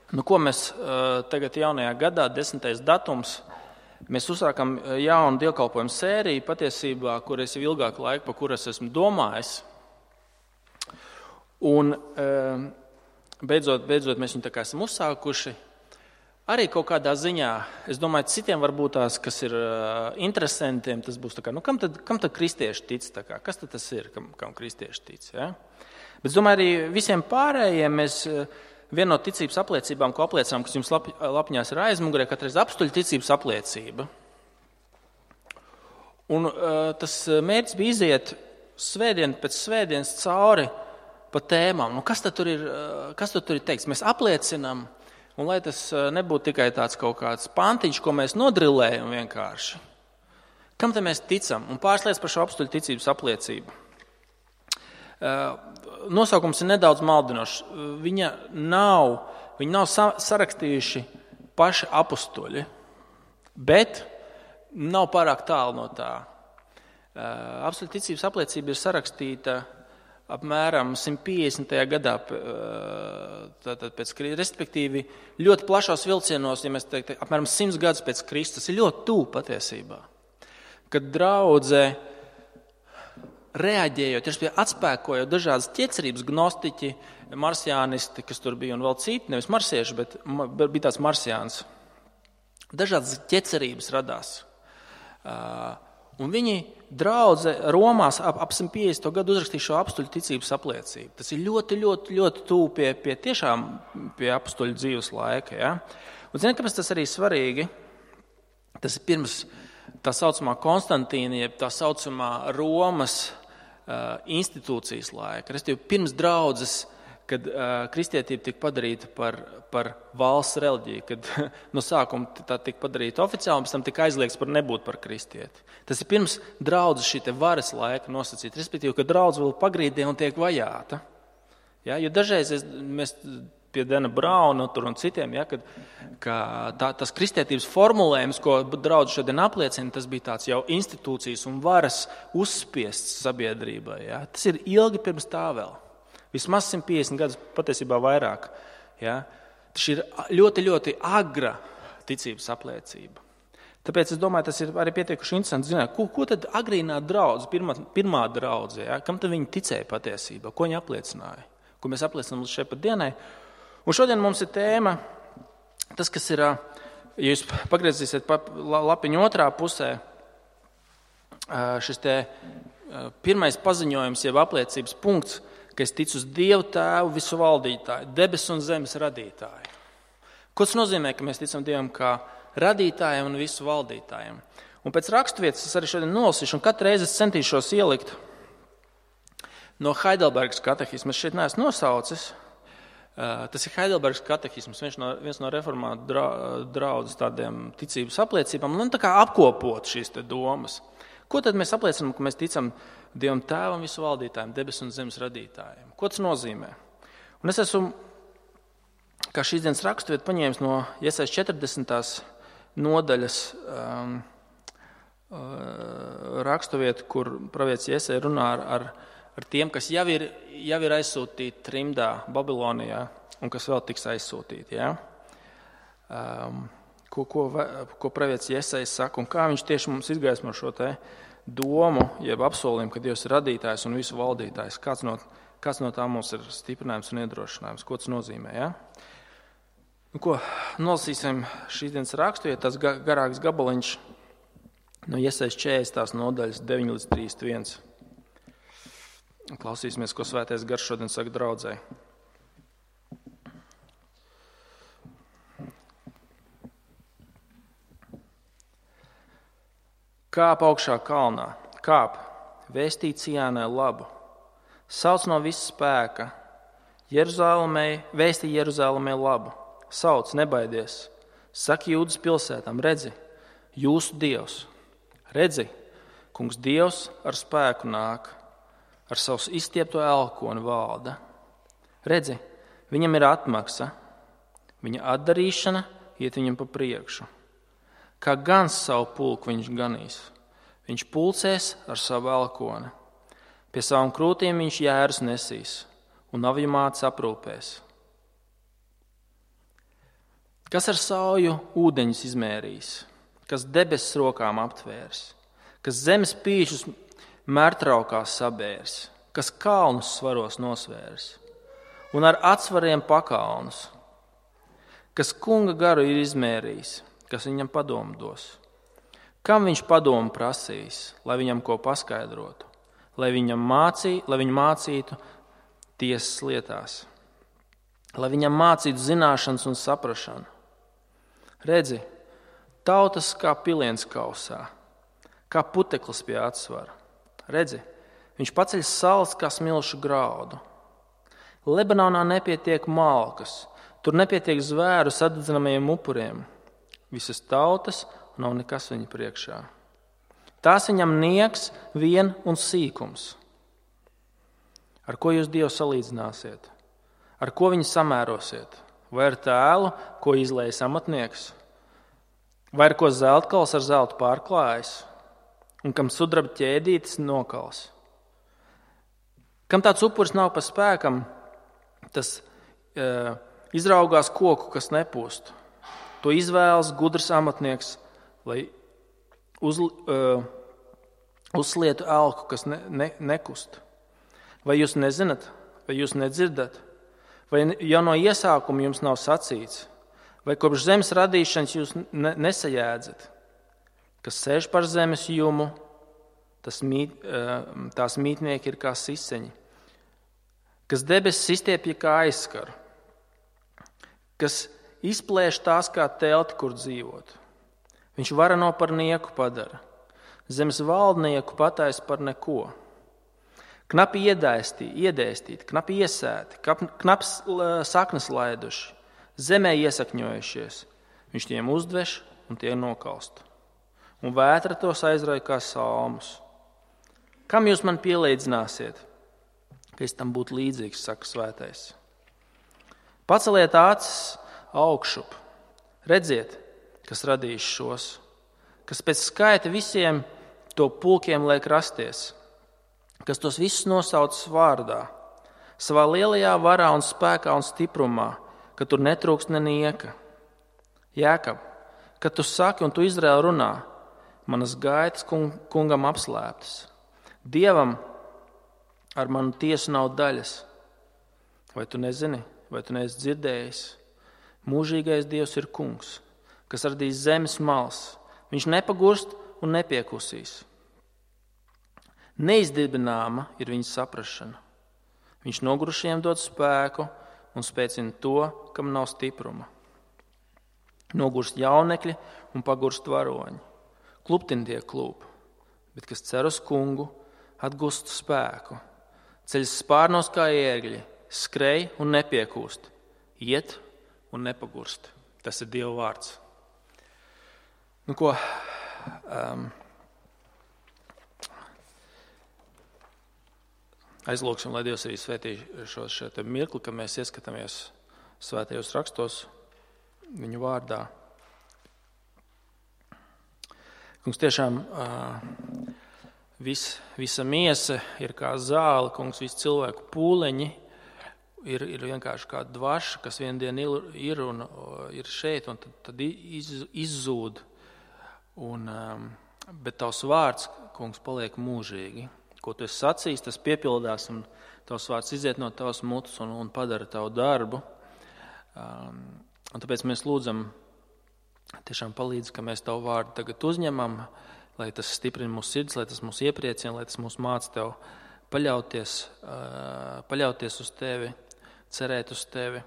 Ko mēs tagad jaunajā gadā, 10. datums, mēs uzsākam jaunu dievkalpojumu sēriju, patiesībā, kur es jau ilgāku laiku, pa kuras esmu domājis. Un beidzot mēs viņu tā kā esam uzsākuši. Arī kaut kādā ziņā, es domāju, citiem varbūt tās, kas ir interesantiem, tas būs tā kā, kam tad kristieši tic, tā kā, kas tad tas ir, kam kristieši tic, ja? Bet es domāju, arī visiem pārējiem mēs viena no ticības apliecībām, ko apliecinām, kas jums lapņās ir aizmugurē, katreiz apstuļu ticības apliecība. Un tas mērķis bija iziet svētdien pēc svētdienas cauri pa tēmām. Kas tad tur ir teikts? Mēs apliecinām, un lai tas nebūtu tikai tāds kaut kāds pantiņš, ko mēs nodrilējam vienkārši. Kam te mēs ticam? Un pāris lietas par šo apstuļu ticības apliecību. Nosaukums ir nedaudz maldinošs. Viņi nav sarakstījuši paši apustuļi, bet nav pārāk tālu no tā. Apstuļu ticības apliecība ir sarakstīta apmēram 150. gadā, respektīvi ļoti plašos vilcienos, ja mēs teiktu, apmēram 100 gadus pēc Kristus. Tas ir ļoti tuvu patiesībā, kad draudze reaģējot, atspēkojot dažādas ķecerības, gnostiķi, marsiānisti, kas tur bija un vēl citi, nevis marsieši, bet bija tāds marsiāns. Dažādas ķecerības radās. Un viņi draudze Romās ap 150. gadu uzrakstīja šo apstuļu ticības apliecību. Tas ir ļoti, ļoti, ļoti tuvu pie apstuļu dzīves laika. Ja? Un zini, kāpēc tas arī svarīgi? Tas ir pirms tā saucamā Konstantīna, jeb tā saucamā Romas institūcijas laika. Restīvi, pirms draudzes, kad kristietība tika padarīta par valsts reliģiju, kad no sākuma tā tika padarīta oficiāli, un pēc tam tika aizliegts par nebūt par kristieti. Tas ir pirms draudzes šī te varas laika nosacīta, respektīvi, ka draudze vēl pagrīdē un tiek vajāta. Ja, jo dažreiz mēs pie Dena Brauna un citiem, ja, tas kristietības formulējums, ko draudze šodien apliecina, tas bija tāds jau institūcijas un varas uzspiests sabiedrībai. Ja. Tas ir ilgi pirms tā vēl. Vismaz 150 gadus, patiesībā vairāk. Ja. Tas ir ļoti, ļoti agra ticības apliecība. Tāpēc es domāju, tas ir arī pietiekuši interesanti zināt, ko tad agrīnā draudze, pirmā draudze, ja, kam tad viņi ticēja patiesībā, ko viņi apliecināja, ko mēs apliecinām līdz šai pat dienai. Un šodien mums ir tēma, tas, kas ir, ja jūs pagriezīsiet lapiņu otrā pusē, šis te pirmais paziņojums, jeb apliecības punkts, ka es ticu uz Dievu Tēvu visu valdītāju, debesu un zemes radītāju. Ko tas nozīmē, ka mēs ticam Dievam kā radītājiem un visu valdītājiem? Un pēc raksturvietas es arī šodien nolasīšu, un katru reizi es centīšos ielikt no Heidelbergas katehisma. Es šeit neesmu nosaucis. Tas ir Heidelbergas katehisms, viens no reformātu draudzes tādiem ticības apliecībām, un tā kā apkopot šīs te domas. Ko tad mēs apliecinām, ka mēs ticam Dievam Tēvam visu valdītājiem, debesu un zemes radītājiem? Ko tas nozīmē? Un es esmu, kā šīs dienas raksturvieta, paņēmis no Jesajas 40. nodaļas raksturvietu, kur pravietis Jesaja runā ar tiem, kas jau ir aizsūtīti trimdā Babilonijā un kas vēl tiks aizsūtīti. Ja? Ko pravietis Jesaja saka un kā viņš tieši mums izgaismo šo te domu, jeb apsolījumu, ka Dievs ir radītājs un visu valdītājs. Kāds no tā mums ir stiprinājums un iedrošinājums? Ko tas nozīmē? Ja? Nolasīsim šīs dienas rakstu, ja tas garāks gabaliņš no Jesajas 40. nodaļas 9 līdz 31. Klausīsimies, ko Svētais Gars šodien saka draudzei. Kāp augšā kalnā, kāp, vēstī Cijānai labu, sauc no visa spēka, vēstī Jeruzālēmai labu, sauc, nebaidies, saki Jūdas pilsētām, redzi, jūsu Dievs, redzi, kungs Dievs ar spēku nāk, ar savu izstiepto elkoni valda. Redzi, viņam ir atmaksa, viņa atdarīšana iet viņam pa priekšu. Kā gans savu pulku viņš ganīs, viņš pulcēs ar savu elkoni. Pie savām krūtīm viņš jērus nesīs un avju mātes aprūpēs. Kas ar sauju ūdeņus izmērījis, kas debesis rokām aptvērs, kas zemes pīšus mērtraukās sabērs, kas kalnus svaros nosvērs un ar atsvariem pakalnus, kas kunga garu ir izmērījis, kas viņam padomu dos. Kam viņš padomu prasīs, lai viņam ko paskaidrotu, lai viņu mācītu tiesas lietās, lai viņam mācītu zināšanas un saprašanu. Redzi, tautas kā piliens kausā, kā puteklis pie atsvara. Redzi, viņš paceļ salas kā smilšu graudu. Lebanonā nepietiek malkas, tur nepietiek zvēru sadedzinamajiem upuriem. Visas tautas nav nekas viņa priekšā. Tās viņam niegs, vien un sīkums. Ar ko jūs Dievu salīdzināsiet? Ar ko viņu samērosiet? Vai ar tēlu, ko izlējas amatnieks? Vai ar ko zeltkals ar zeltu pārklājas? Un kam sudraba ķēdītes nokals? Kam tāds upuris nav pa spēkam, tas izraugās koku, kas nepūst. To izvēlas gudrs amatnieks, lai uzlietu elku, kas nekust. Vai jūs nezināt, vai jūs nedzirdat? Vai jau no iesākuma jums nav sacīts? Vai kopš zemes radīšanas jūs nesajēdzat? Kas sēž par zemes jumu, tās mītnieki ir kā siseņi. Kas debesis izstiepja kā aizskaru. Kas izplēš tās kā telti, kur dzīvot. Viņš varano par nieku padara. Zemes valdnieku pataisa par neko. Knapi iedēstīti, knapi iesēti, knaps saknes laiduši, zemē iesakņojušies. Viņš tiem uzdveš un tie nokalst. Un vētra tos aizrauj kā salmus. Kam jūs man pielīdzināsiet, ka es tam būtu līdzīgs, saka svētais? Paceliet acis augšup, redziet, kas radījis šos, kas pēc skaita visiem to pulkiem liek rasties, kas tos visus nosauc vārdā, savā lielajā varā un spēkā un stiprumā, ka tur netrūkst nenieka. Jēkab, kad tu saki un tu Izraēl runā, manas gaitas kungam apslēptas. Dievam ar manu tiesu nav daļas. Vai tu nezini, vai tu neesi dzirdējis? Mūžīgais Dievs ir kungs, kas radīs zemes malas. Viņš nepagurst un nepiekusīs. Neizdibināma ir viņa saprašana. Viņš nogurušiem dod spēku un spēcina to, kam nav stipruma. Nogurst jaunekļi un pagurst varoņi. Kluptin tie klūp, bet kas cer uz kungu, atgūst spēku. Ceļas spārnos kā ērgļi, skrej un nepiekūst, iet un nepagurst. Tas ir Dieva vārds. Nu ko, aizlūksim, lai Dievs arī svētī šo mirkli, kad mēs ieskatāmies svētajos rakstos viņu vārdā. Kungs, tiešām visa miesa ir kā zāle, kungs, visi cilvēku pūleņi ir vienkārši kā dvaša, kas vien dienu ir un ir šeit, un tad izzūd. Bet tavs vārds, kungs, paliek mūžīgi. Ko tu esi sacījis, tas piepildās, un tavs vārds iziet no tavas mutes un padara tavu darbu. Un tāpēc mēs lūdzam, tiešām palīdz, ka mēs tavu vārdu tagad uzņemam, lai tas stiprina mūsu sirds, lai tas mūs iepriecina, lai tas mūs māca tev paļauties uz tevi, cerēt uz tevi.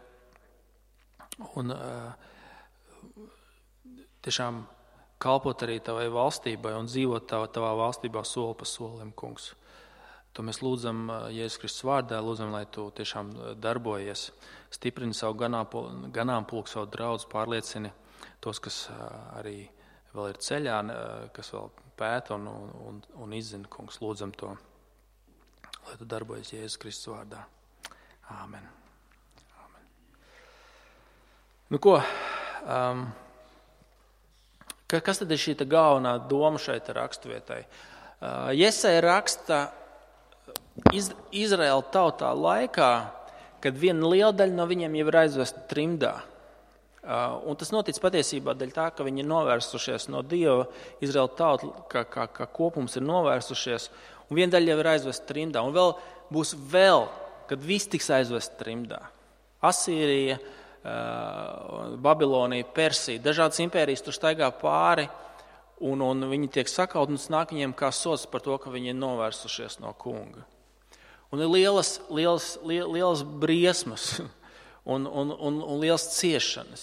Un tiešām kalpot arī tavai valstībai un dzīvot tavā valstībā soli pa solim, kungs. To mēs lūdzam Jēzus Kristus vārdā, lūdzam, lai tu tiešām darbojies, stiprini savu ganāmpulku, savu draudzi, pārliecini tos, kas arī vēl ir ceļā, kas vēl pēta un izzina, kungs, lūdzam to, lai tu darbojies Jēzus Kristus vārdā. Āmen. Āmen. Nu ko, kas tad ir šī galvenā doma šeit raksturvietai? Jesaja raksta Izraēla tautā laikā, kad viena liela daļa no viņiem jau ir aizvesta trimdā. Un tas notic patiesībā dēļ tā, ka viņi ir novērsušies no Dieva, Izraēla tauta, kā kopums ir novērsušies, un viena daļa jau ir aizvest trimdā, un būs vēl, kad viss tiks aizvest trimdā. Asīrija, Babilonija, Persija, dažādas impērijas tur staigā pāri, un viņi tiek sakaut, un tas nāk viņiem kā sots par to, ka viņi ir novērsušies no kunga. Un ir lielas briesmas un lielas ciešanas.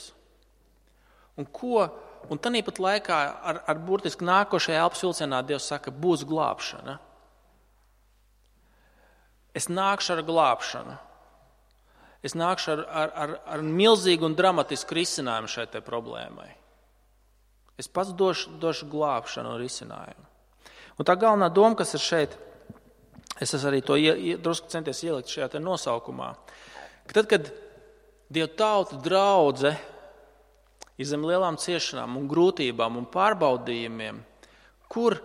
Un tanīpat laikā ar burtiski nākošajā elpas vilcienā Dievs saka, būs glābšana. Es nākšu ar glābšanu. Es nākšu ar milzīgu un dramatisku risinājumu šai te problēmai. Es pats došu glābšanu un risinājumu. Un tā galvenā doma, kas ir šeit, es arī to drusku centies ielikt šajā te nosaukumā, ka tad, kad Dieva tauta draudze ir zem lielām ciešanām un grūtībām un pārbaudījumiem, kur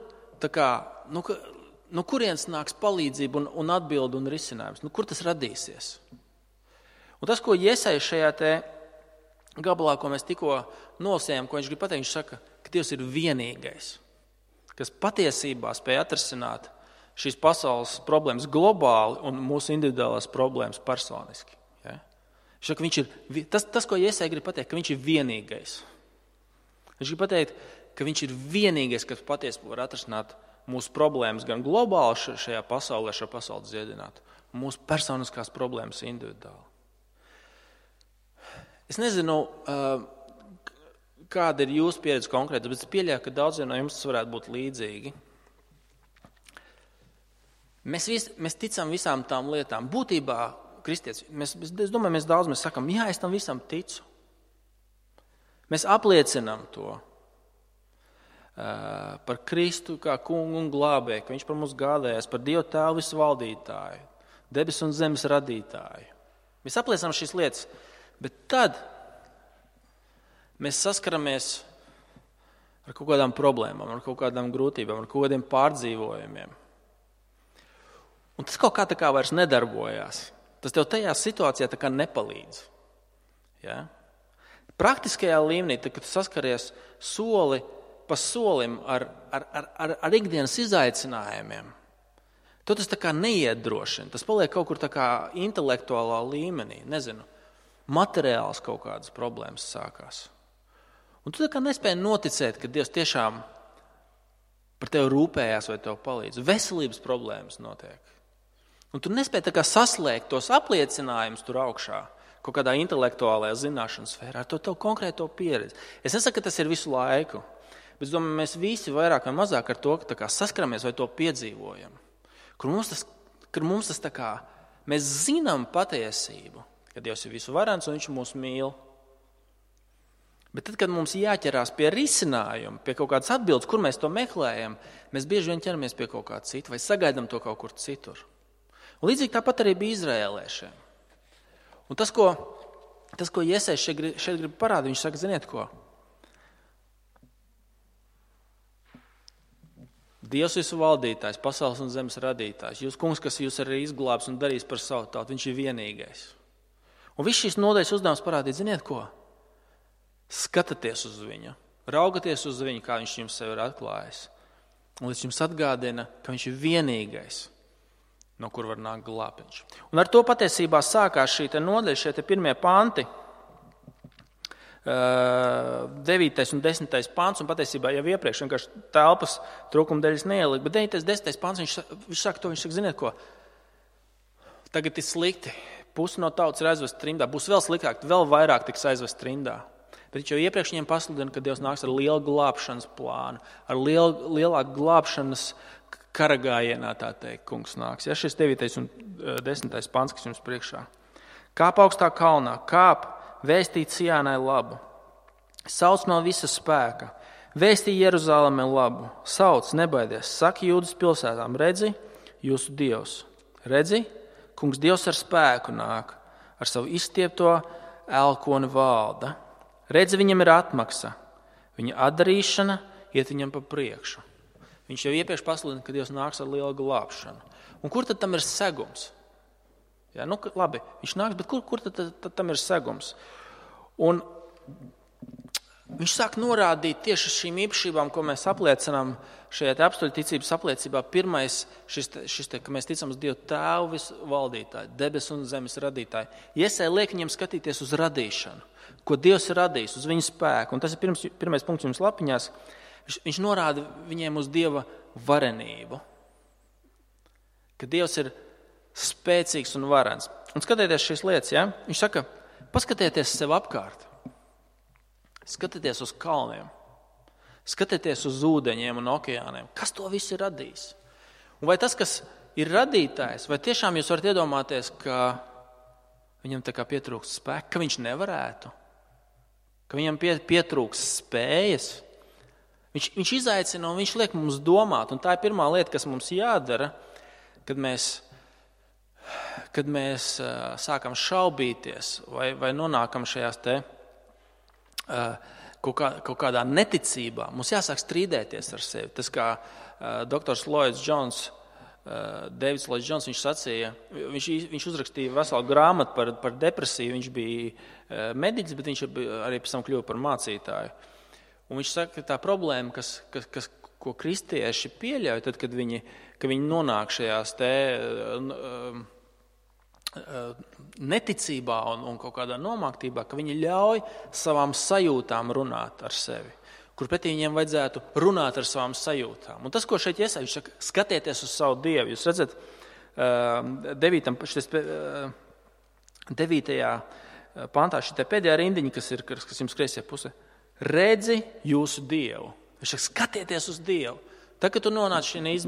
no kurienes nāks palīdzība un atbilde un risinājums, kur tas radīsies. Un tas, ko Jesaja šajā te gabalā, ko mēs tikko nolasījām, ko viņš grib pateikt, viņš saka, ka Dievs ir vienīgais, kas patiesībā spēj atrisināt šīs pasaules problēmas globāli un mūsu individuālās problēmas personiski. Ja? Viņš saka, viņš ir, tas, ko Jesaja grib pateikt, ka viņš ir vienīgais. Viņš grib pateikt, ka viņš ir vienīgais, kas patiesībā var atrisināt mūsu problēmas gan globāli šajā pasaulē, šo pasauli dziedināt, un mūsu personiskās problēmas individuāli. Es nezinu, kāda ir jūsu pieredze konkrēta, bet es pieļauju, ka daudziem no jums tas varētu būt līdzīgi. Mēs ticam visām tām lietām. Būtībā, kristieši, es domāju, mēs sakam, jā, es tam visam ticu. Mēs apliecinām to par Kristu kā kungu un glābēju, ka viņš par mums gādājās, par Dievu Tēvu visvaldītāju, debesu un zemes radītāju. Mēs apliecinām šīs lietas, bet tad mēs saskaramies ar kaut kādām problēmām, ar kaut kādām grūtībām, ar kaut kādiem pārdzīvojumiem. Un tas kaut kā vairs nedarbojās. Tas tev tajā situācijā tā kā nepalīdz. Ja? Praktiskajā līmenī, tad, kad tu saskaries soli pa solim ar ikdienas izaicinājumiem, to tas tā kā neiedrošina. Tas paliek kaut kur tā kā intelektuālā līmenī, nezinu, materiāls kaut kādas problēmas sākās. Un tu tā kā nespēji noticēt, ka Dievs tiešām par tevi rūpējās vai tev palīdz. Veselības problēmas notiek. Un tu nespēji tā kā saslēgt tos apliecinājumus tur augšā, kaut kādā intelektuālajā zināšanas sfērā, ar to konkrēto pieredzi. Es nesaku, ka tas ir visu laiku, bet es domāju, mēs visi vairāk vai mazāk ar to tā kā saskaramies vai to piedzīvojam. Kur mums tas tā kā, mēs zinām patiesību, ka Dievs ir visu varens un viņš mūs mīl. Bet tad, kad mums jāķerās pie risinājuma, pie kaut kādas atbildes, kur mēs to meklējam, mēs bieži vien ķeramies pie kaut kā cita vai sagaidām to kaut kur citur. Un līdzīgi tāpat arī bija izraēliešiem. Un tas, ko Jesaja šeit grib parādīt, viņš saka, ziniet ko? Dievs visu valdītājs, pasaules un zemes radītājs, jūs kungs, kas jūs arī izglābs un darīs par savu tautu, viņš ir vienīgais. Un viss šīs nodaļas uzdevums parādīt, ziniet ko? Skatāties uz viņu, raugaties uz viņu, kā viņš jums sev ir atklājis. Un līdz jums atgādina, ka viņš ir vienīgais, no kur var nākt glābiņš. Un ar to patiesībā sākās šī nodaļa, šie pirmie panti, 9. un 10. pants, un patiesībā jau iepriekš vienkārši telpas trūkuma dēļ es neieliku, bet 9. un 10. pants, viņš saka, ziniet ko, tagad ir slikti, pusi no tautas ir aizvest trimdā, būs vēl sliktāk, vēl vairāk tiks aizvest trimdā. Bet jau iepriekš viņiem pasludina, ka Dievs nāks ar lielu glābšanas plānu, ar lielāku glābšanas karagājienā, tā teikt, kungs nāks. Ja šis 9. un 10. pants, kas jums priekšā. Kāp augstā kalnā, kāp, vēstīt Cijānai labu. Sauc no visa spēka, vēstī Jeruzālēmē labu. Sauc, nebaidies, saki Jūdas pilsētām, redzi, jūsu Dievs. Redzi, kungs Dievs ar spēku nāk, ar savu izstiepto elkoni valda. Redzi, viņam ir atmaksa, viņa atdarīšana iet viņam pa priekšu. Viņš jau iepriekš pasludina, ka Dievs nāks ar lielu glābšanu. Un kur tad tam ir segums? Jā, labi, viņš nāks, bet kur tad tam ir segums? Un viņš sāk norādīt tieši uz šīm īpašībām, ko mēs apliecinām šajā apstuļu ticības apliecībā. Pirmais, ka mēs ticam uz Dievu Tēvu visvaldītāju, debesu un zemes radītāju. Iesaja liek viņam skatīties uz radīšanu, ko Dievs ir radījis, uz viņa spēku. Un tas ir pirmais punkts jums lapiņās. Viņš norāda viņiem uz Dieva varenību. Ka Dievs ir spēcīgs un varens. Un skatieties šīs lietas, ja? Viņš saka, paskatieties sev apkārt. Skatieties uz kalniem. Skatieties uz ūdeņiem un okeāniem. Kas to visu ir radījis? Un vai tas, kas ir radītājs, vai tiešām jūs varat iedomāties, ka viņam tā kā pietrūkst spēka, ka viņš nevarētu? Ka viņam pietrūkst spējas? Viņš izaicina un viņš liek mums domāt. Un tā ir pirmā lieta, kas mums jādara, kad mēs sākam šaubīties vai nonākam šajās te kaut kādā neticībā. Mums jāsāk strīdēties ar sevi. Tas kā doktors Lloyds Jones, Davids Lloyds Jones, viņš sacīja, viņš uzrakstīja veselu grāmatu par depresiju. Viņš bija mediķis, bet viņš arī pēc tam kļuva par mācītāju. Un viņš saka, ka tā problēma, ko kristieši pieļauj, tad, kad viņi nonāk šajās te neticībā un kaut kādā nomāktībā, ka viņi ļauj savām sajūtām runāt ar sevi, kur pretī viņiem vajadzētu runāt ar savām sajūtām. Un tas, ko šeit iesaist, viņš saka, skatieties uz savu Dievu. Jūs redzat, 9. pantā šī pēdējā rindiņa, kas jums kreisajā pusē. Redzi jūsu Dievu. Viņš saka, skatieties uz Dievu. Tad, kad tu nonāc šajā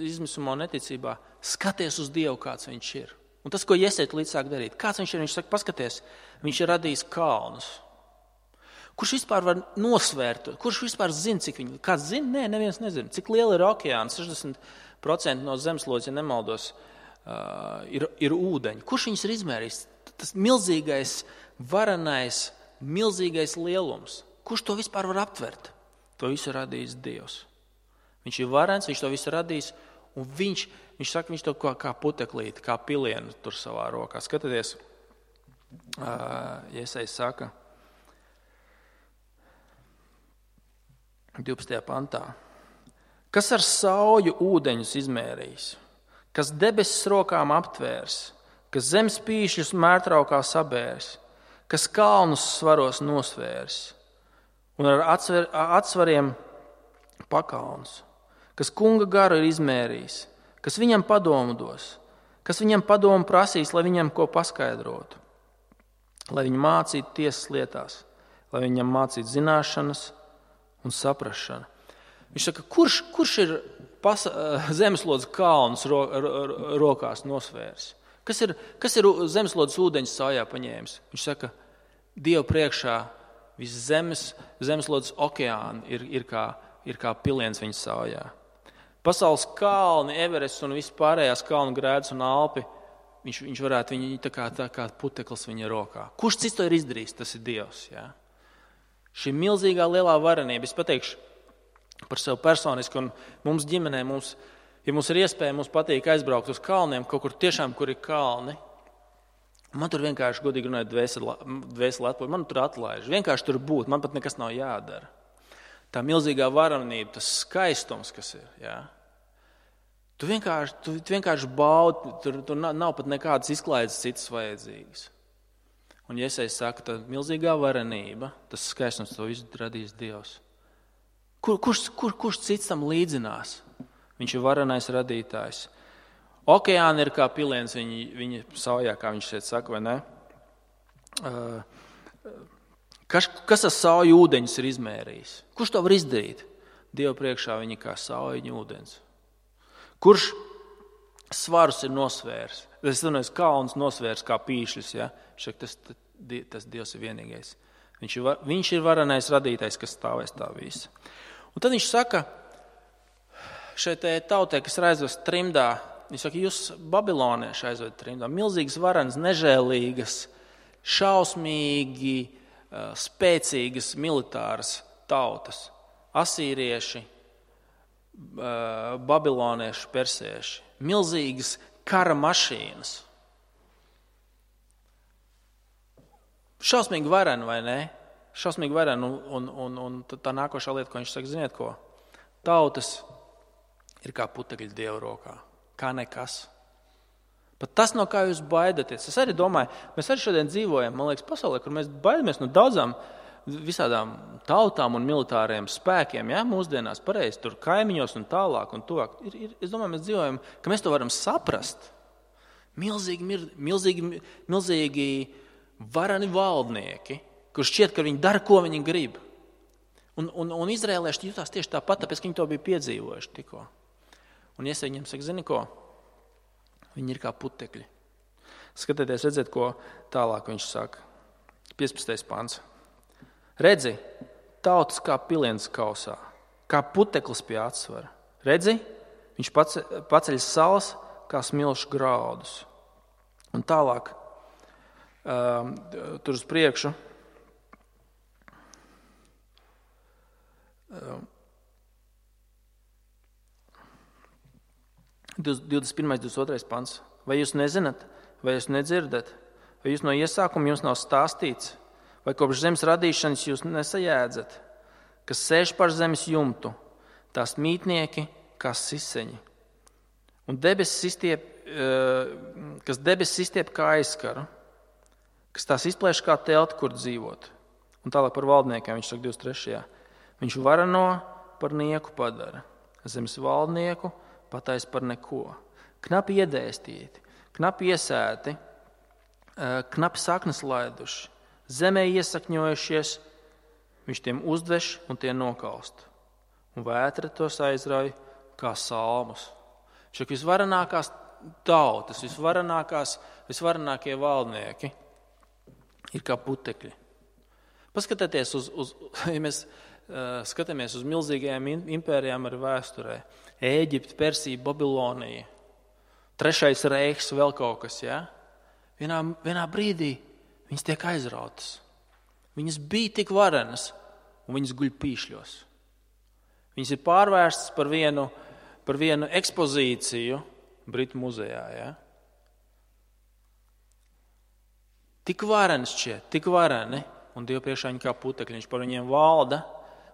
izmisumā un neticībā, skaties uz Dievu, kāds viņš ir. Un tas, ko iesiet līdz sāk darīt. Kāds viņš ir? Viņš saka, paskaties, viņš ir radījis kalnus. Kurš vispār var nosvērt? Kurš vispār zina, cik viņi? Kāds zina? Nē, neviens nezina. Cik liela ir okeāns? 60% no zemeslodes, ja nemaldos, ir ūdeņi. Kurš viņus ir izmērījis? Tas milzīgais, varenais, milzīgais lielums. Kurš to vispār var aptvert? To visu radījis Dievs. Viņš ir varens, viņš to visu radījis, un viņš saka, viņš to kā puteklīti, kā pilienu tur savā rokā. Skatieties, Iesajas saka, 12. pantā. Kas ar sauju ūdeņus izmērījis, kas debesis rokām aptvērs, kas zemes pīšļus mērtraukā sabērs, kas kalnus svaros nosvērs un ar atsvariem pakalnus, kas kunga garu ir izmērījis, kas viņam padomu dos, kas viņam padomu prasīs, lai viņam ko paskaidrotu, lai viņu mācītu tiesas lietās, lai viņam mācītu zināšanas un saprašanu. Viņš saka, kurš ir zemeslodes kalnus rokās nosvērs? Kas ir zemeslodes ūdeņus saujā paņēmis? Viņš saka, Dievu priekšā viss zemeslodes okeāni ir kā piliens viņa saujā. Pasaules kalni, Everests un viss pārējās kalnu grēdas un Alpi, viņš varētu viņu tā kā puteklis viņa rokā. Kurš cits to ir izdarījis? Tas ir Dievs. Ja? Šī milzīgā lielā varenība, es pateikšu par sevi personiski, un mums ģimenē, ja mums ir iespēja, mums patīk aizbraukt uz kalniem, kaut kur tiešām, kur ir kalni. Man tur vienkārši, godīgi runājot, dvēseli atpūj, man tur atlaiž. Vienkārši tur būt, man pat nekas nav jādara. Tā milzīgā varenība, tas skaistums, kas ir. Ja? Tu vienkārši baudi, tur nav pat nekādas izklaides citas vajadzīgas. Un Iesajas saka, tā milzīgā varenība, tas skaistums, to visu radīs Dievs. Kurš cits tam līdzinās? Viņš ir varenais radītājs. Okeāni ir kā piliens viņa saujā, kā viņš šeit saka, vai ne? Kas ar sauju ūdeņus ir izmērījis? Kurš to var izdarīt? Dievu priekšā viņi kā sauju ūdens. Kurš svarus ir nosvērs? Es runāju, kalns nosvērs kā pīšļus, ja? Tas Dievs ir vienīgais. Viņš ir varenais radītājs, kas stāvēs tā visa. Un tad viņš saka, šeit tautai, kas ir aizvest trimdā, viņš saka, jūs babilonieši aizved trimdā, milzīgas varenas, nežēlīgas, šausmīgi, spēcīgas militāras tautas, asīrieši, babilonieši, persieši, milzīgas kara mašīnas. Šausmīgi vareni, vai ne? Šausmīgi vareni, un tā nākošā lieta, ko viņš saka, ziniet ko? Tautas ir kā putekļi Dieva rokā, kā nekas. Pat tas, no kā jūs baidaties. Es arī domāju, mēs arī šodien dzīvojam, man liekas, pasaulē, kur mēs baidamies no daudzām visādām tautām un militāriem spēkiem, ja, mūsdienās pareizi, tur kaimiņos un tālāk un tuvāk. Es domāju, mēs dzīvojam, ka mēs to varam saprast. Milzīgi varani valdnieki, kur šķiet, ka viņi dara, ko viņi grib. Un izrēlieši jutās tieši tāpat, tāpēc, ka viņi to bija piedzīvojuši tikko. Un Iesai viņiem saka, zini ko? Viņi ir kā putekļi. Skatieties, redziet, ko tālāk viņš saka. 15. pants. Redzi, tautas kā piliens kausā, kā puteklis pie atsvara. Redzi, viņš paceļ salas kā smilšu graudus. Un tālāk, tur uz priekšu, 21. 22. pants. Vai jūs nezināt, vai jūs nedzirdat, vai jūs no iesākuma jums nav stāstīts, vai kopš zemes radīšanas jūs nesajēdzat, kas sēž par zemes jumtu, tās mītnieki kā siseņi, un kas debesis izstiep kā aizskaru, kas tās izplēš kā telti, kur dzīvot. Un tālāk par valdniekiem viņš saka 23. Viņš varano par nieku padara, zemes valdnieku patais par neko. Knapi iedēstīti, knapi iesēti, knapi saknes laiduši, zemē iesakņojušies, viņš tiem uzdveš un tie nokalst. Un vētra tos aizrauj kā salmus. Šak visvarenākās tautas, visvarenākie valdnieki ir kā putekļi. Paskatieties ja mēs skatāmies uz milzīgajām impērijām ar vēsturē. Ēģipte, Persija, Babilonija, Trešais Reichs, vēl kaut kas, ja? Vienā brīdī viņas tiek aizrautas. Viņas bija tik varenas, un viņas guļ pīšļos. Viņas ir pārvērstas par vienu ekspozīciju Britu muzejā. Ja? Tik varenas šķiet, tik vareni, un Dievu priekšā viņi kā putekļi. Viņš par viņiem valda,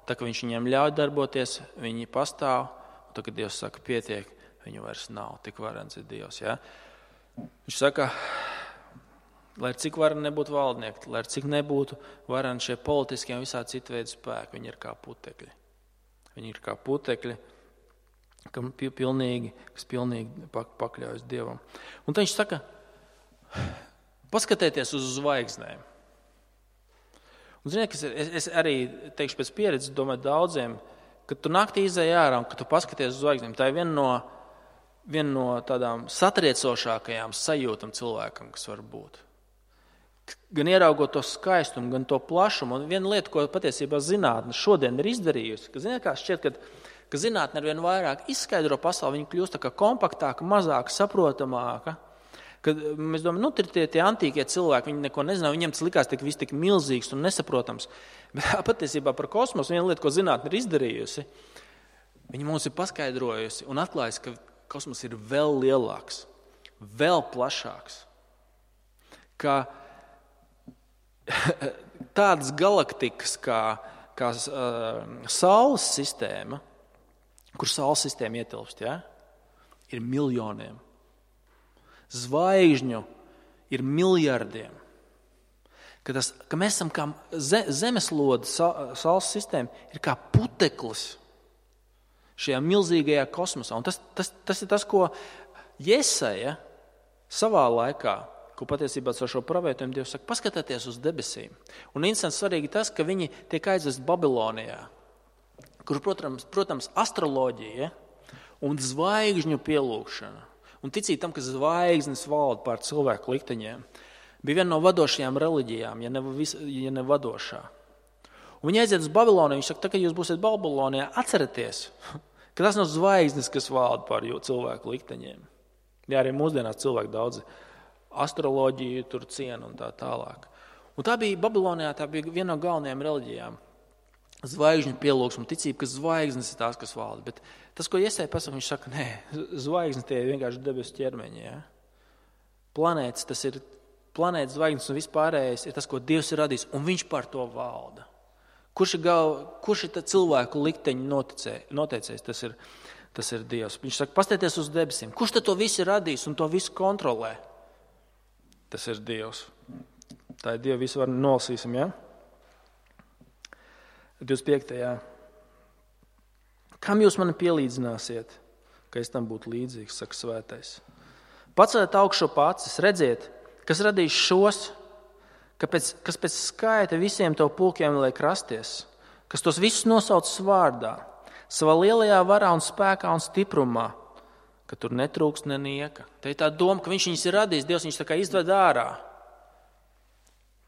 tā ka viņš viņiem ļauj darboties, viņi pastāv, un tā, kad Dievs saka, pietiek, viņu vairs nav, tik varens ir Dievs. Ja? Viņš saka, lai cik vareni nebūtu valdnieki, lai cik nebūtu vareni šie politiskie un visā citu veidu spēki, viņi ir kā putekļi. Viņi ir kā putekļi, kas pilnīgi pakļaujas Dievam. Un tad viņš saka, paskatieties uz zvaigznēm. Un ziniet, es arī teikšu pēc pieredzes, domāju daudziem, kad tu naktī izēj ārā un kad tu paskaties uz zvaigznēm, tā ir viena no tādām satriecošākajām sajūtam cilvēkam, kas var būt. Gan ieraugot to skaistumu, gan to plašumu. Un viena lieta, ko patiesībā zinātne šodien ir izdarījusi, ka ziniet, kā šķiet, ka zinātne ar vien vairāk izskaidro pasauli, viņa kļūst tā kā kompaktāka, mazāka, saprotamāka. Kad mēs domājam, tie antīkie cilvēki, viņi neko nezināja, viņiem tas likās tik milzīgs un nesaprotams. Bet patiesībā par kosmosu viena lieta, ko zinātne ir izdarījusi, viņa mums ir paskaidrojusi un atklājusi, ka kosmos ir vēl lielāks, vēl plašāks. Ka tādas galaktikas kā Saules sistēma, kur Saules sistēma ietilpst, ja, ir miljoniem. Zvaigžņu ir miljardiem. Ka mēs esam kā zemeslode, Saules sistēma ir kā puteklis šajā milzīgajā kosmosā. Un tas ir tas, ko Jesaja savā laikā, ko patiesībā ar šo pravietojumu Dievs saka, paskatieties uz debesīm. Un interesanti svarīgi tas, ka viņi tiek aizvest Babilonijā, kur, protams, astroloģija un zvaigžņu pielūgšana un ticīt tam, ka zvaigznes valda pār cilvēku likteņiem, bija viena no vadošajām reliģijām, ja ne vadošā. Un viņi aiziet uz Babiloniju, viņš saka, tā, kad jūs būsiet Babilonijā, atcerieties, ka tas nav zvaigznes, kas valda pār cilvēku likteņiem. Jā, arī mūsdienās cilvēki daudzi astroloģiju tur ciena un tā tālāk. Un tā bija Babilonijā, tā bija viena no galvenajām reliģijām. Zvaigžņu pielūgsme, ticība, ka zvaigznes ir tās, kas valda. Bet tas, ko Jesaja pasaka, viņš saka, nē, zvaigznes tie ir vienkārši debesu ķermeņi. Ja? Planētas, tas ir planētas, zvaigznes un vispārējais ir tas, ko Dievs ir radījis, un viņš par to valda. Kurš ir tā cilvēku likteņu noteicējis? Tas ir Dievs. Viņš saka, pastieties uz debesīm. Kurš tad to visu ir radījis un to visu kontrolē? Tas ir Dievs. Tā ir Dieva visu var nolasīsim, ja? 25. Kam jūs mani pielīdzināsiet, ka es tam būtu līdzīgs, saka svētais? Paceliet augšu acis, redziet, kas radīs šos, kas pēc skaita visiem to pulkiem liek rasties, kas tos visus nosauc vārdā, savā lielajā varā un spēkā un stiprumā, ka tur netrūkst nenieka. Te ir tā doma, ka viņš viņus ir radījis, Dievs viņus tā kā izved ārā.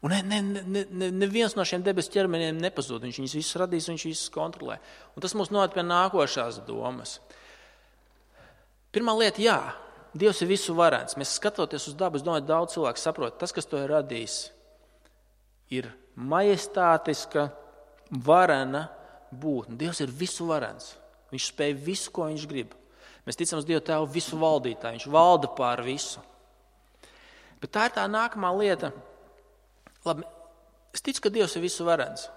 Un neviens no šiem debesu ķermeņiem nepazūd. Viņš viņus visus radīs un viņš visus kontrolē. Un tas mūs noved pie nākošās domas. Pirmā lieta, jā, Dievs ir visu varens. Mēs skatoties uz dabu, es domāju, daudz cilvēku saprot, tas, kas to ir radījis, ir majestātiska, varena būtne. Dievs ir visu varens. Viņš spēj visu, ko viņš grib. Mēs ticam uz Dievu Tēvu visu valdītāju. Viņš valda pār visu. Bet tā ir tā nākamā lieta. Labi, es ticu, ka Dievs ir visu varens.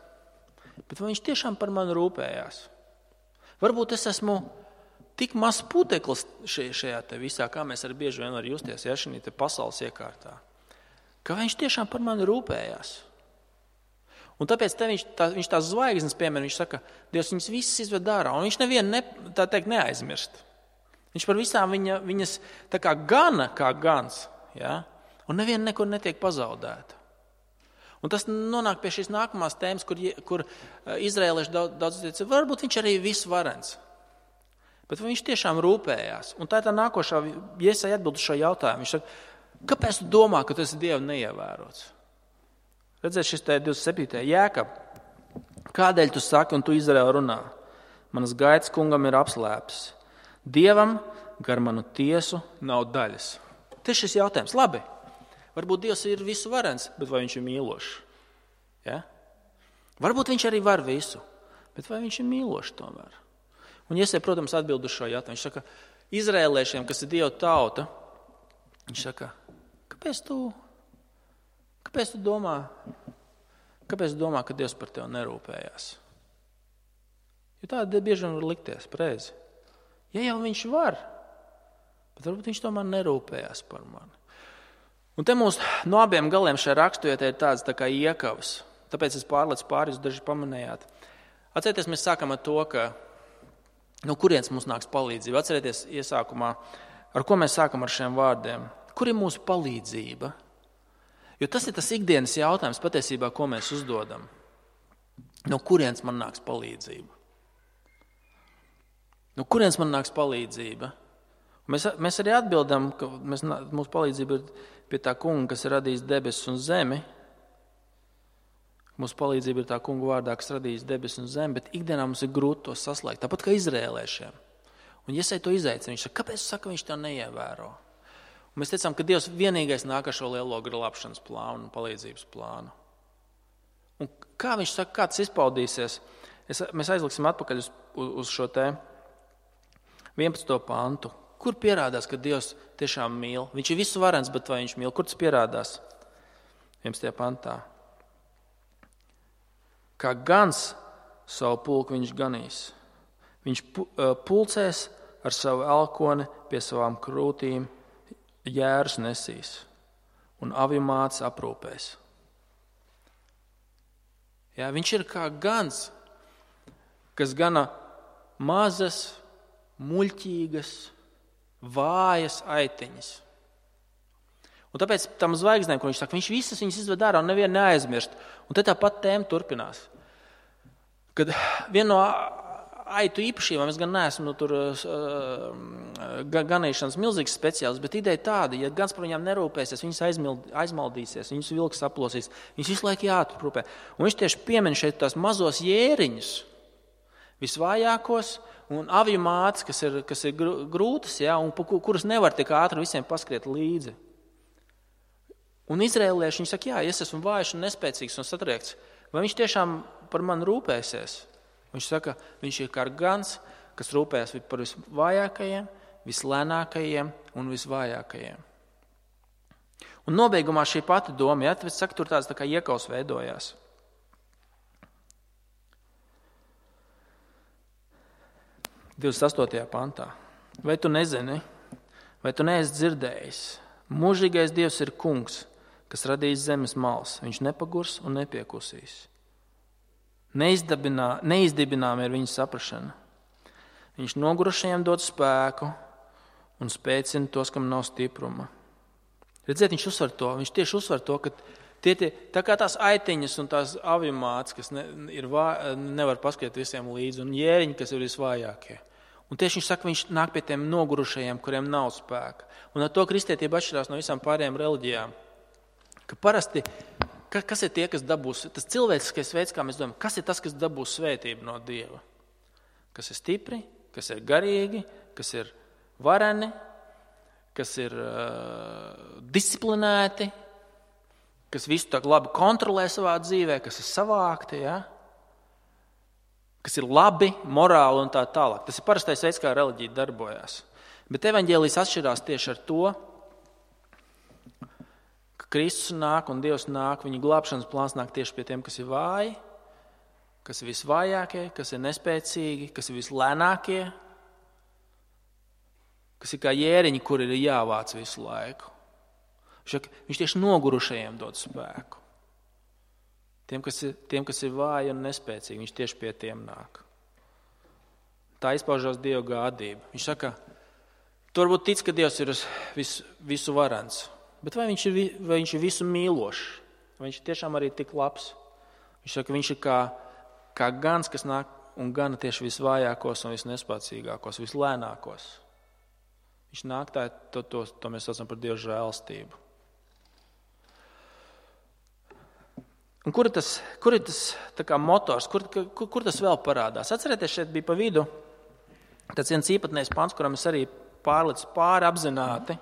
Bet vai viņš tiešām par mani rūpējās? Varbūt es esmu tik maz puteklis šajā te visā, kā mēs arī bieži vien var justies, ja, šī te pasaules iekārtā. Ka viņš tiešām par mani rūpējās. Un tāpēc viņš tās zvaigznes piemēr, viņš saka, Dievs viņas visas izved ārā, un viņš nevienu neaizmirst. Viņš par visām viņas tā kā gana, kā gans, ja? Un neviena nekur netiek pazaudēta. Un tas nonāk pie šīs nākamās tēmas, kur izrēlieši daudz teica, varbūt viņš arī visu varens. Bet viņš tiešām rūpējās. Un tā ir tā nākošā, Jesaja atbild uz šo jautājumu. Viņš saka, kāpēc tu domā, ka tas ir Dieva neievērots? Redzēt, šis te 27. Jēkab, kādēļ tu saki un tu Izraēlu runā? Manas gaitas kungam ir apslēptas. Dievam gar manu tiesu nav daļas. Tas ir šis jautājums. Labi, varbūt Dievs ir visu varens, bet vai viņš ir mīlošs? Ja? Varbūt viņš arī var visu, bet vai viņš ir mīlošs tomēr? Un Jesaja, protams, atbild uz šo jautājumu. Viņš saka, izrēliešiem, kas ir Dieva tauta, viņš saka, kāpēc tu domā, ka Dievs par tevi nerūpējās? Jo tāda bieži vien var likties, pareizi. Ja jau viņš var, bet varbūt viņš tomēr nerūpējās par mani. Un te mums no abiem galiem šajā raksturietē ir tāds tā kā iekavas. Tāpēc es pārlecu pāri, jūs daži pamanējāt. Atcerieties, mēs sākam ar to, ka no kurienes mums nāks palīdzība. Atcerieties iesākumā, ar ko mēs sākam ar šiem vārdiem. Kur ir mūsu palīdzība? Jo tas ir tas ikdienas jautājums patiesībā, ko mēs uzdodam. No kurienes man nāks palīdzība? No kurienes man nāks palīdzība? Mēs arī atbildam, ka mūsu palīdzība ir pie tā kunga, kas ir radījis debesis un zemi. Mūsu palīdzība ir tā kunga vārdā, kas radījis debesis un zemi, bet ikdienā mums ir grūti to saslēgt, tāpat kā izrēliešiem. Un Jesaja to izaicina, viņš saka, kāpēc saka, viņš to neievēro? Un mēs teicām, ka Dievs vienīgais nāk ar šo lielo glābšanas plānu un palīdzības plānu. Un kā viņš saka, kā tas izpaudīsies? Mēs aizliksim atpakaļ uz šo te 11. pantu. Kur pierādās, ka Dievs tiešām mīl? Viņš ir visu varens, bet vai viņš mīl? Kur tas pierādās? 11. pantā. Kā gans savu pulku viņš ganīs. Viņš pulcēs ar savu elkoni pie savām krūtīm, jērus nesīs un avju mātes aprūpēs. Jā, viņš ir kā gans, kas gana mazas, muļķīgas, vājas aitiņas. Un tāpēc tam zvaigznēm, ko viņš saka, viņš visas viņas izved ārā un nevienu neaizmirst. Un te tāpat tēma turpinās. Kad viena no aitu īpašībām, es gan neesmu tur ganīšanas milzīgs speciālists, bet ideja tāda, ja gans par viņām nerūpēsies, viņas aizmaldīsies, viņas vilks aplosīs, viņas visu laiku jāatrūpē. Un viņš tieši piemin šeit tās mazos jēriņus, visvājākos, un avju mātes, kas ir grūtas, ja, un kuras nevar tik ātri visiem paskriet līdzi. Un izrēlieši, viņi saka, jā, es esmu vājš un nespēcīgs un satriekts. Vai viņš tiešām par mani rūpēsies? Viņš saka, viņš ir kā gans, kas rūpējas par visvājākajiem, vislēnākajiem un visvājākajiem. Un nobeigumā šī pati doma, ja, tāpēc saka, tur tāds tā kā iekaus veidojās. – 28. pantā. Vai tu nezini, vai tu neesi dzirdējis? Mūžīgais Dievs ir kungs, kas radījis zemes malas. Viņš nepagurs un nepiekusīs. Neizdibinām ir viņa saprašana. Viņš nogurušajiem dod spēku un spēcina tos, kam nav stipruma. Redziet, viņš tieši uzsver to, ka tā kā tās aitiņas un tās avimāts, kas nevar paskriet visiem līdzi, un jēriņi, kas ir visvājākie. Un tieši viņš saka, viņš nāk pie tiem nogurušajiem, kuriem nav spēka. Un ar to kristietība atšķirās no visām pārējām reliģijām. Ka parasti, kas ir tie, kas dabūs, tas cilvēciskais veids, kā mēs domājam, kas ir tas, kas dabūs svētību no Dieva? Kas ir stipri, kas ir garīgi, kas ir vareni, kas ir disciplinēti, kas visu tā labi kontrolē savā dzīvē, kas ir savākti, ja? Kas ir labi, morāli un tā tālāk. Tas ir parastais veids, kā reliģija darbojās. Bet evaņģēlijs atšķirās tieši ar to, ka Kristus nāk un Dievs nāk, viņa glābšanas plāns nāk tieši pie tiem, kas ir vāji, kas ir visvājākie, kas ir nespēcīgi, kas ir vislēnākie, kas ir kā jēriņi, kur ir jāvāc visu laiku. Viņš tieši nogurušajiem dod spēku. Tiem, kas ir vāji un nespēcīgi, viņš tieši pie tiem nāk. Tā izpaužās Dieva gādība. Viņš saka, tu varbūt tic, ka Dievs ir visu varens, bet vai viņš ir visu mīlošs? Vai viņš ir tiešām arī tik labs? Viņš saka, viņš ir kā gans, kas nāk un gana tieši visvājākos un visnespēcīgākos, vislēnākos. Viņš nāk to mēs saucam par Dieva žēlastību. Un kur ir tas tā kā motors, kur tas vēl parādās? Atcerieties, šeit bija pa vidu tāds viens īpatnējs pants, kuram es arī pārlicu pāri apzināti.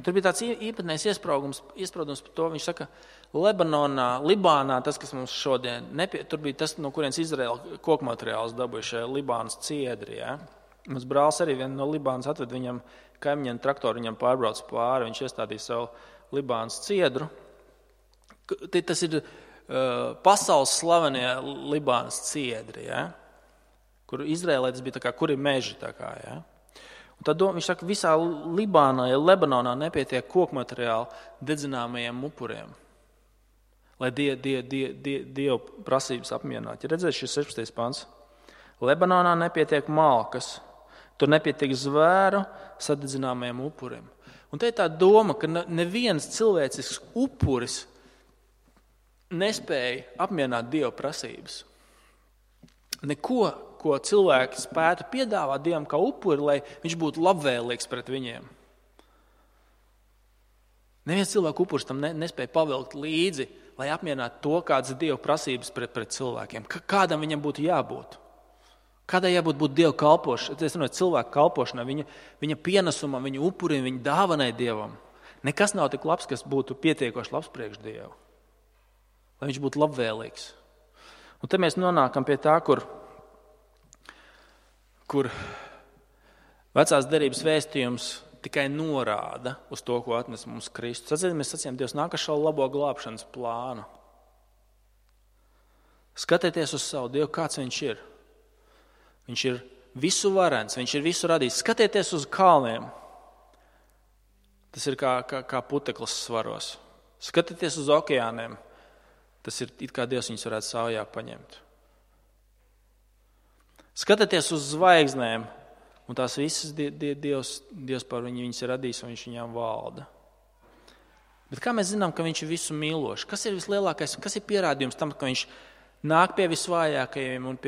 Tur bija tāds īpatnējs iespraudums par to. Viņš saka, Libānā, tas, kas mums šodien, tur bija tas, no kurienes Izraēla kokmateriāls dabūja šajā Libānas ciedri. Ja? Mums brālis arī vienu no Libānas atved viņam kaimiņiem traktoru, viņam pārbrauc pāri, viņš iestādīja savu Libānas ciedru. Tas ir pasaules slavenie Libānas ciedri, ja? Kur Izrēlē tas bija tā kā, kur ir meži. Tā kā, ja? Un tad viņš saka, visā Libānā, ja Lebanonā nepietiek kokmateriāli dedzināmajiem upuriem, lai Dievu prasības apmierinātu. Ja redzēt šis 16. pants. Lebanonā nepietiek malkas, tur nepietiek zvēru sadedzināmajiem upuriem. Un te ir tā doma, ka neviens cilvēcisks upuris nespēja apmierināt Dieva prasības. Neko, ko cilvēki spētu piedāvāt Dievam kā upuri, lai viņš būtu labvēlīgs pret viņiem. Neviens cilvēku upuris tam nespēja pavilkt līdzi, lai apmierinātu to, kādas ir Dieva prasības pret cilvēkiem. Kādam viņam būtu jābūt? Kādai jābūt Dieva kalpošanai? Es runāju, cilvēku kalpošanai, viņa pienesumam, viņa upurim, viņa dāvanai Dievam. Nekas nav tik labs, kas būtu pietiekoši labs priekš Dievu. Lai viņš būtu labvēlīgs. Un te mēs nonākam pie tā, kur vecās derības vēstījums tikai norāda uz to, ko atnes mums Kristus. Atcerieties, mēs sacījām, Dievs nāk ar šo labo glābšanas plānu. Skatieties uz savu Dievu, kāds viņš ir. Viņš ir visu varens, viņš ir visu radījis. Skatieties uz kalniem. Tas ir kā puteklis svaros. Skatieties uz okeāniem. Tas ir it kā Dievs viņus varētu savajā paņemt. Skatieties uz zvaigznēm, un tās visas Dievs par viņus ir radījis, un viņš viņām valda. Bet kā mēs zinām, ka viņš ir visu mīlošs? Kas ir vislielākais, kas ir pierādījums tam, ka viņš nāk pie visvājākajiem un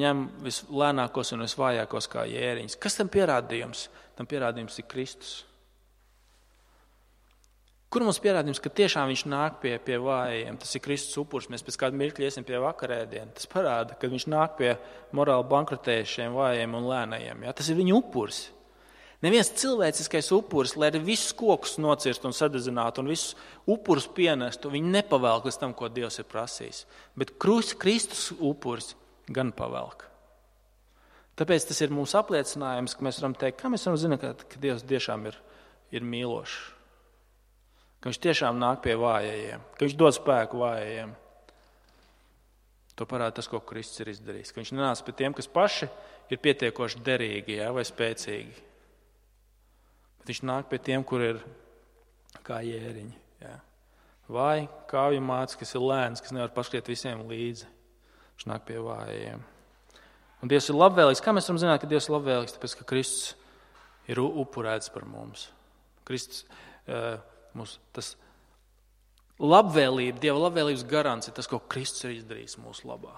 ņem vislēnākos un visvājākos kā jēriņus? Kas tam pierādījums? Tam pierādījums ir Kristus. Kur mums pierādījums, ka tiešām viņš nāk pie vājiem? Tas ir Kristus upurs. Mēs pēc kāda mirkļa iesim pie vakarēdiena. Tas parāda, ka viņš nāk pie morāli bankrotējušiem vājiem un lēnajiem. Ja? Tas ir viņa upurs. Neviens cilvēciskais upuris, lai arī visus kokus nocirst un sadedzinātu un visus upurus pienestu, viņi nepavelk līdz tam, ko Dievs ir prasījis. Bet Kristus upuris gan pavelk. Tāpēc tas ir mūsu apliecinājums, ka mēs varam teikt, kā mēs varam zināt, ka Dievs tiešām ir mīlošs. ka viņš tiešām nāk pie vājajiem, ka viņš dod spēku vājajiem. To parāda tas, ko Kristus ir izdarījis. Ka viņš nenāca pie tiem, kas paši ir pietiekoši derīgi, vai spēcīgi. Bet viņš nāk pie tiem, kur ir kā jēriņi. Jā. Vai kāvju mācis, kas ir lēns, kas nevar paskriet visiem līdzi. Viņš nāk pie vājajiem. Un Dievs ir labvēlīgs. Kā mēs varam zināt, ka Dievs ir labvēlīgs? Tāpēc, ka Kristus ir upurēts par mums. Kristus, tas labvēlība, Dieva labvēlības garants ir tas, ko Kristus ir izdarījis mūsu labā.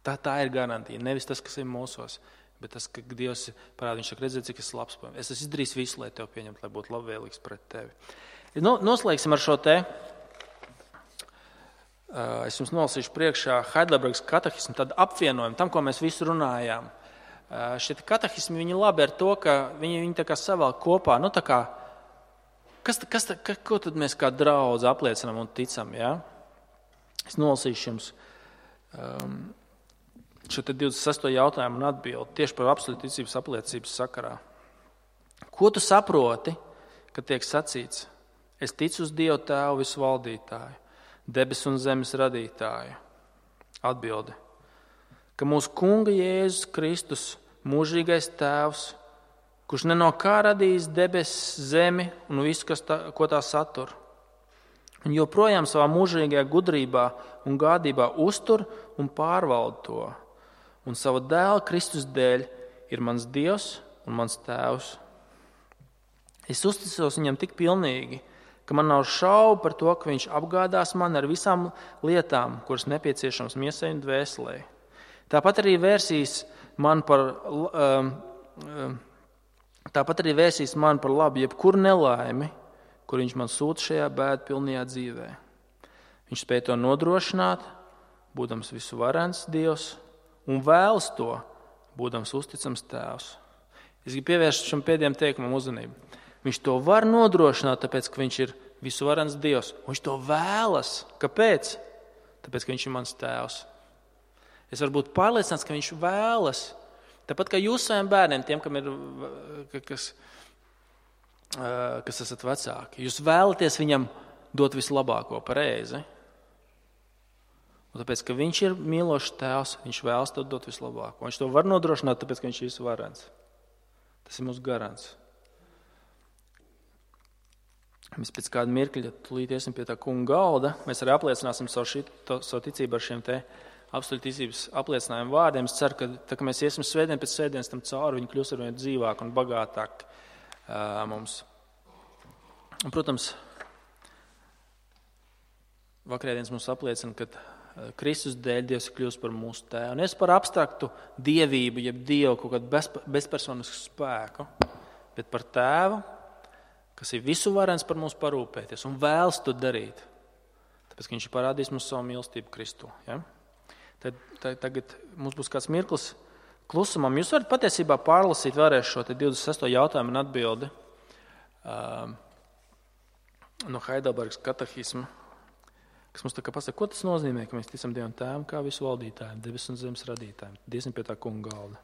Tā ir garantija. Nevis tas, kas ir mūsos, bet tas, ka Dievs parāda, viņš saka, redzēt, cik es labs. Es esmu izdarījis visu, lai tev pieņemtu, lai būtu labvēlīgs pret tevi. Noslēgsim ar šo te. Es jums nolasīšu priekšā Heidelbergas katehismu, tad apvienojumu tam, ko mēs visu runājām. Šie katehismi, viņi labi ar to, ka viņi tā kā savēl kopā, tā kā, ko tad mēs kā draudzi apliecinām un ticam, ja? Es nolasīšu jums šo te 26. jautājumu un atbildi tieši par absolūtu ticības apliecības sakarā. Ko tu saproti, kad tiek sacīts, es ticu uz Dievu Tēvu visvaldītāju, debesu un zemes radītāju? Atbilde, ka mūsu Kunga Jēzus Kristus, mūžīgais Tēvs, kurš ne no kā radījis debesis, zemi un visu, ko tā satur, un joprojām savā mūžīgajā gudrībā un gādībā uztur un pārvalda to, un sava dēla Kristus dēļ ir mans Dievs un mans Tēvs. Es uzticos viņam tik pilnīgi, ka man nav šaubu par to, ka viņš apgādās mani ar visām lietām, kuras nepieciešams miesai un dvēselē. Tāpat arī vērsīs man par labu jebkuru nelaimi, kur viņš man sūta šajā bēdpilnajā dzīvē. Viņš spēj to nodrošināt, būdams visu varens Dievs, un vēlas to, būdams uzticams Tēvs. Es gribu pievērst šim pēdējiem teikumam uzmanību. Viņš to var nodrošināt, tāpēc, ka viņš ir visuvarens Dievs. Viņš to vēlas. Kāpēc? Tāpēc, ka viņš ir mans Tēvs. Es varu būt pārliecināts, ka viņš vēlas. Tāpat kā jūs saviem bērniem, tiem, kam ir, kas esat vecāki. Jūs vēlaties viņam dot vislabāko pareizi. Un tāpēc, ka viņš ir mīlošs Tēvs, viņš vēlas to dot vislabāko. Viņš to var nodrošināt, tāpēc, ka viņš ir visuvarens. Tas ir mūsu garants. Mēs pēc kāda mirkļa tūlīt iesim pie tā kunga galda. Mēs arī apliecināsim savu ticību ar šiem te absolūti ticības apliecinājumu vārdiem. Es ceru, ka tā, ka mēs iesim svētdien pēc svētdienas tam cauri, viņi kļūs arvien dzīvāk un bagātāk mums. Un, protams, vakarēdienas mums apliecina, ka Kristus dēļ Dievs ir kļūst par mūsu tēvu. Un es par abstraktu dievību, jeb Dievu kaut kādu bezpersonisku spēku, bet par tēvu, kas ir visu varens par mums parūpēties un vēlas to darīt. Tāpēc, ka viņš ir parādījis mums savu mīlestību Kristu. Ja? Tagad mums būs kāds mirklis klusumam. Jūs varat patiesībā pārlasīt vēlreiz šo 26. jautājumu un atbildi no Heidelbergas katehisma, kas mums tā kā pasaka, ko tas nozīmē, ka mēs ticam Dievam Tēvam kā visu valdītājiem, debesu un zemes radītājiem. Iesim pie tā kunga galda.